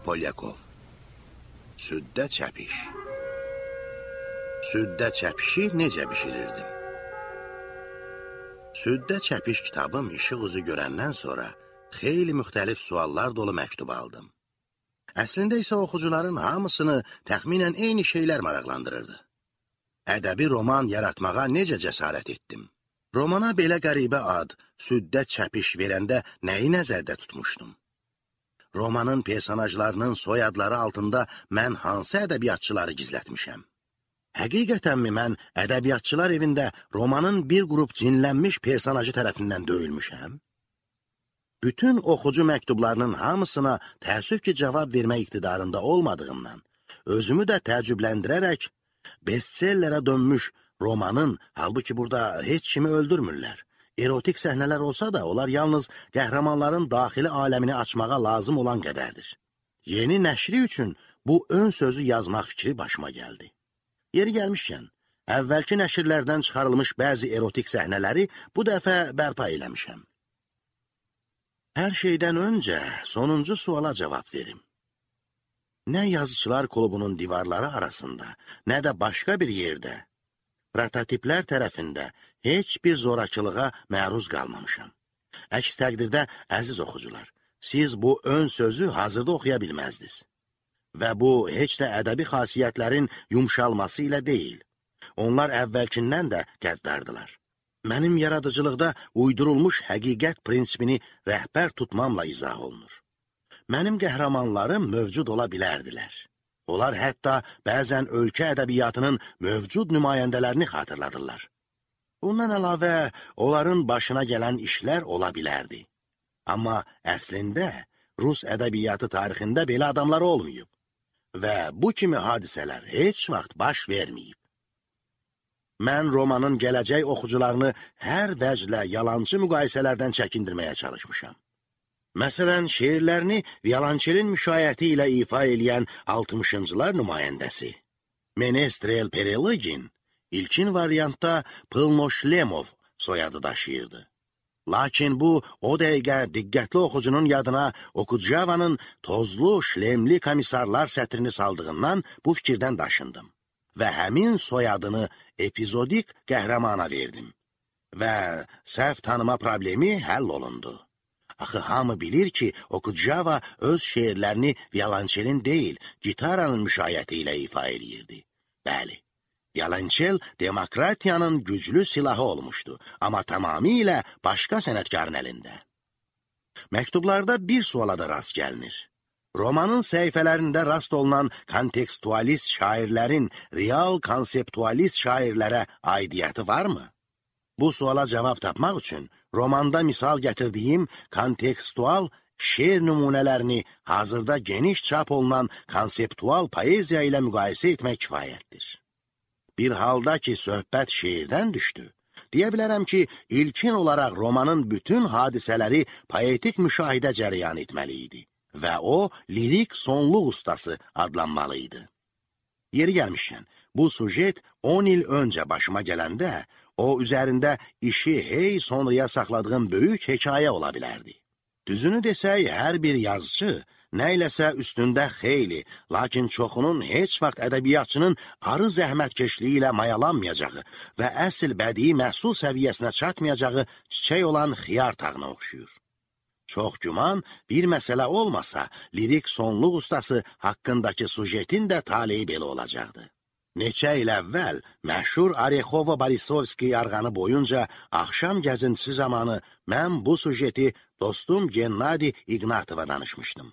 Polyakov. Süddə çəpiş. Süddə çəpişi necə bişirirdim? Süddə çəpiş kitabım işıq üzü görəndən sonra xeyli müxtəlif suallar dolu məktub aldım. Əslində isə oxucuların hamısını təxminən eyni şeylər maraqlandırırdı. Ədəbi roman yaratmağa necə cəsarət etdim? Romana belə qəribə ad, süddə çəpiş verəndə nəyi nəzərdə tutmuşdum? Romanın personajlarının soyadları altında mən hansı ədəbiyyatçıları gizlətmişəm? Həqiqətənmi mən ədəbiyyatçılar evində romanın bir qrup cinlənmiş personajı tərəfindən döyülmüşəm? Bütün oxucu məktublarının hamısına təəssüf ki, cavab vermək iqtidarında olmadığımdan, özümü də təəccübləndirərək, bestsellerə dönmüş romanın, halbuki burada heç kimi öldürmürlər. Erotik səhnələr olsa da, onlar yalnız qəhrəmanların daxili aləmini açmağa lazım olan qədərdir. Yeni nəşri üçün bu ön sözü yazmaq fikri başıma gəldi. Yeri gəlmişkən, əvvəlki nəşirlərdən çıxarılmış bəzi erotik səhnələri bu dəfə bərpa eləmişəm. Hər şeydən öncə sonuncu suala cavab verim. Nə yazıçılar klubunun divarları arasında, nə də başqa bir yerdə, prototiplər tərəfində heç bir zorakılığa məruz qalmamışam. Əks təqdirdə, əziz oxucular, siz bu ön sözü hazırda oxuya bilməzdiniz. Və bu, heç də ədəbi xasiyyətlərin yumşalması ilə deyil. Onlar əvvəlkindən də qəddardılar. Mənim yaradıcılıqda uydurulmuş həqiqət prinsipini rəhbər tutmamla izah olunur. Mənim qəhrəmanlarım mövcud ola bilərdilər. Onlar hətta bəzən ölkə ədəbiyyatının mövcud nümayəndələrini xatırladırlar. Bundan əlavə, onların başına gələn işlər ola bilərdi. Amma əslində, Rus ədəbiyyatı tarixində belə adamlar olmayıb və bu kimi hadisələr heç vaxt baş verməyib. Mən romanın gələcək oxucularını hər vəclə yalancı müqayisələrdən çəkindirməyə çalışmışam. Məsələn, şeirlərini violonçelin müşayiəti ilə ifa eləyən 60-cılar nümayəndəsi Menestrel Pereligin ilkin variantda Pılnoşlemov soyadı daşıyırdı. Lakin bu, o dəqiqə diqqətli oxucunun yadına Okudjavanın tozlu, şlemli komissarlar sətrini saldığından bu fikirdən daşındım və həmin soyadını epizodik qəhrəmana verdim və səhv tanıma problemi həll olundu. Axı, hamı bilir ki, Okudjava öz şeirlərini violonçelin deyil, gitaranın müşayiəti ilə ifa eləyirdi. Bəli, violonçel demokratiyanın güclü silahı olmuşdu, amma tamamilə başqa sənətkarın əlində. Məktublarda bir suala da rast gəlinir. Romanın səhifələrində rast olunan kontekstualist şairlərin real konseptualist şairlərə aidiyyəti varmı? Bu suala cavab tapmaq üçün romanda misal gətirdiyim kontekstual şeir nümunələrini hazırda geniş çap olunan konseptual poeziya ilə müqayisə etmək kifayətdir. Bir halda ki, söhbət şeirdən düşdü, deyə bilərəm ki, ilkin olaraq romanın bütün hadisələri poetik müşahidə cərəyan etməli idi və o, lirik sonluq ustası adlanmalıydı. Yeri gəlmişkən, bu sujet 10 il öncə başıma gələndə, o üzərində işi hey sonraya saxladığım böyük hekayə ola bilərdi. Düzünü desək, hər bir yazıcı, nə iləsə üstündə xeyli, lakin çoxunun heç vaxt ədəbiyyatçının arı zəhmətkeşliyi ilə mayalanmayacağı və əsl bədii məhsul səviyyəsinə çatmayacağı çiçək olan xiyar tağına oxşuyur. Çox güman, bir məsələ olmasa, lirik sonluq ustası haqqındakı sujetin də taleyi belə olacaqdı. Neçə il əvvəl məşhur Orekhova-Borisovski yarğanı boyunca axşam gəzintisi zamanı mən bu sujeti dostum Gennadi İgnatova danışmışdım.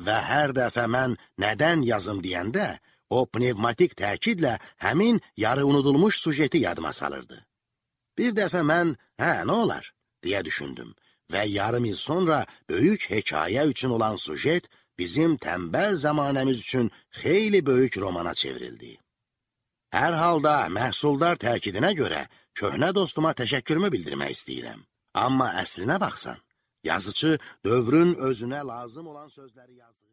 Və hər dəfə mən nədən yazım deyəndə, o pnevmatik təkidlə həmin yarı unudulmuş sujeti yadıma salırdı. Bir dəfə mən, nə olar, deyə düşündüm və yarım il sonra böyük hekayə üçün olan sujet bizim tənbəl zamanəmiz üçün xeyli böyük romana çevrildi. Hər halda məhsuldar təkidinə görə köhnə dostuma təşəkkürümü bildirmək istəyirəm. Amma əslinə baxsan, yazıcı dövrün özünə lazım olan sözləri yazdı.